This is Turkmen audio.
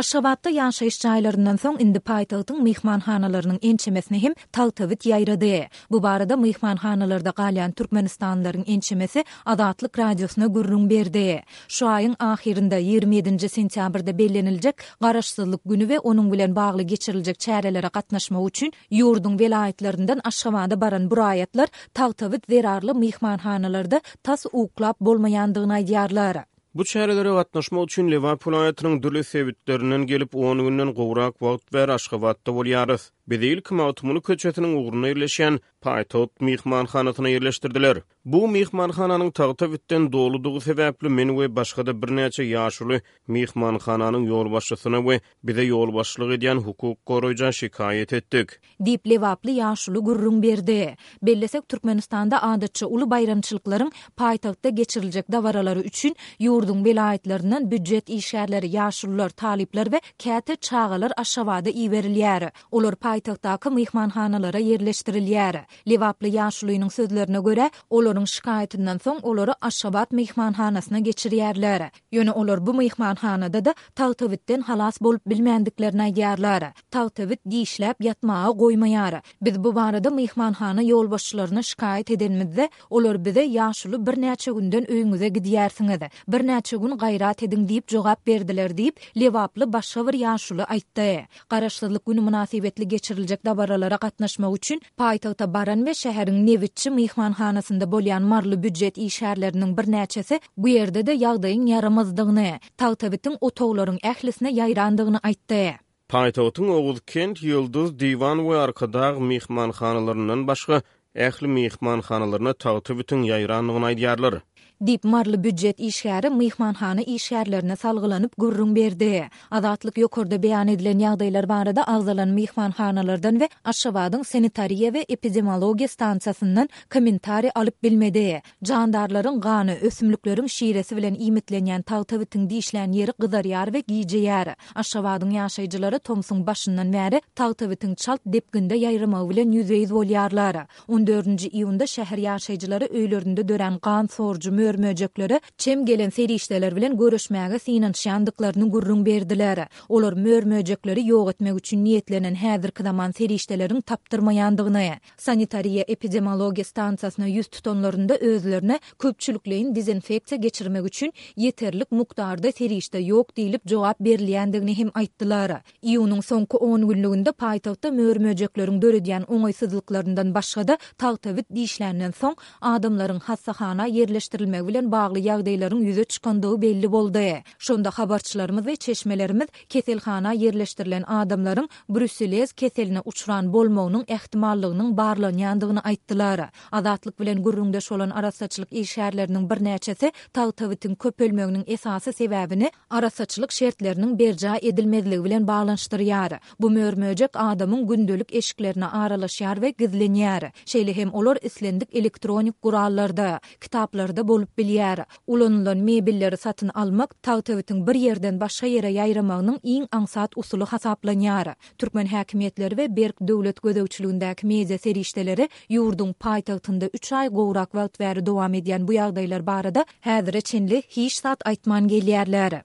Aşgabatda ýaşaýyş jaýlaryndan soň indi paýtagtyň myhmanhanalarynyň ençemesine hem tagtabit ýaýrady. Bu barada myhmanhanalarda galýan türkmenistanlylaryň ençemesi Azatlyk Radiosyna gürrüň berdi. Şu aýyň ahyrynda, 27-nji sentýabrda belleniljek Garaşsyzlyk güni we onuň bilen bagly geçiriljek çärelere gatnaşmak üçin ýurduň welaýatlaryndan Aşgabada baran bu raýatlar tagtabit zerarly myhmanhanalarda tas uklap bolmaýandygyny aýdýarlar. Bu çärelere gatnaşmak üçin Lebap welaýatynyň dürli sebitlerinden gelip, on günden gowrak wagt bäri Aşgabatda bolýarys. Bizi ilki Magtymguly köçesiniň ugrunda ýerleşýän Paýtagt myhmanhanasyna ýerleşdirdiler. Bu myhmanhananyň tagta bitden doludygy sebäpli men we başga-da birnäçe ýaşuly myhmanhananyň ýolbaşçysyna we bize ýolbaşçylyk edýän hukuk goraýja şikaýat etdik. Diýip, lebaply ýaşuly gürrüň berdi. Bellesek, Türkmenistanda adatça uly baýramçylyklaryň paýtagtda geçiriljek dabaralary üçin ýurduň welaýatlaryndan býujet işgärleri, ýaşulular, talyplar we käte çagalar Aşgabada iberilýär. Olar paýtagtdaky myhmanhanalara ýerleşdirilýär. Lebaply ýaşulynyň sözlerine görä, olaryň şikaýatyndan soň olary Aşgabat myhmanhanasyna geçirýärler. Ýöne olar bu myhmanhanada-da tagtabitden halas bolup bilmändiklerini aýdýarlar. Tagtabit dişläp ýatmaga goýmaýar. Biz bu barada myhmanhana ýolbaşçylaryna şikaýat edenimizde, olar bize ýaşuly birnäçe günden öýüňize gidýärsiňiz. Birnäçe gün gaýrat ediň diýip jogap berdiler diýip, lebaply başga bir ýaşuly aýtdy. Garaşsyzlyk güni mynasybetli geçiriljek dabaralara gatnaşmak üçin paýtagta baran we şäheriň Nebitçi myhmanhanasynda bolýan maryly býujet işgärleriniň birnäçesi bu ýerde-de ýagdaýyň ýaramazdygyny, tagtabitiň otaglaryň ählisine ýaýrandygyny aýtdy. Paýtagtyň Oguzkent, Ýyldyz, Diwan we Arkadag myhmanhanalaryndan başga ähli myhmanhanalaryna tagtabitiň ýaýrandygyny aýdýarlar. Diýip, maryly býujet işgäri myhmanhana işgärlerine salgylanyp gürrüň berdi. Azatlyk ýokarda beýan edilen ýagdaýlar barada agzalan myhmanhanalardan we Aşgabadyň sanitariýa we epidemiologiýa stansiýasyndan kommentariý alyp bilmedi. Jandarlaryň gany, ösümlikleriň şiresi bilen iýmitlenýän tagtabitiň dişlän ýeri gyzarýar we gijeýär. Aşgabadyň ýaşaýjylary tomsuň başyndan bäri tagtabitiň çalt depginde ýaýramagy bilen ýüzbe-ýüz bolýarlar. On dördünji iýunda şäher ýaşaýjylary öýlerinde dörän gan sorujy mör-möjeklere çem gelen serişdeler bilen göreşmäge synanyşýandyklaryny gürrüň berdiler. Olar mör-möjekleri ýok etmek üçin niýetlenen häzirki zaman serişdeleriň tapdyrmaýandygyny, sanitariýa-epidemiologiýa stansiýasyna ýüz tutanlarynda özlerine köpçülikleýin dezinfeksiýa geçirmek üçin ýeterlik mukdarda serişde ýok diýlip jogap berilýändigini hem aýtdylar. Iýunyň soňky on günlüginde paýtagtda mör-möjekleriň döredýän oňaýsyzlyklaryndan başga-da, tagtabit dişländen soň, adamlaryň hassahana ýerleşdirilmegi bilen bagly ýagdaýlaryň ýüze çykandygy belli boldy. Şonda habarçylarymyz we çeşmelerimiz keselhana ýerleşdirilen adamlaryň bruselez keseline uçran bolmagynyň ähtimallygynyň barlanýandygyny aýtdylar. Azatlyk bilen gürrüňdeş bolan arassaçylyk işgärleriniň birnäçesi tagtabitiň köpelmeginiň esasy sebäbini arassaçylyk şertleriniň berjaý edilmezligi bilen baglanyşdyrýar. Bu mör-möjek adamyň gündelik eşiklerine aralaşýar we gizlenýär. Şeýle hem olar islendik elektronik gurallarda, kitaplarda bolup bilýär. Ulanylan mebelleri satyn almak tagtabitiň bir ýerden başga ýere ýaýramagynyň iň aňsat usuly hasaplanýar. Türkmen häkimiýetleri we berk döwlet gözegçiligindäki media serişdeleri ýurduň paýtagtynda üç aý gowrak wagt bäri dowam edýän bu ýagdaýlar barada häzire çenli hiç zat aýtman gelýärler.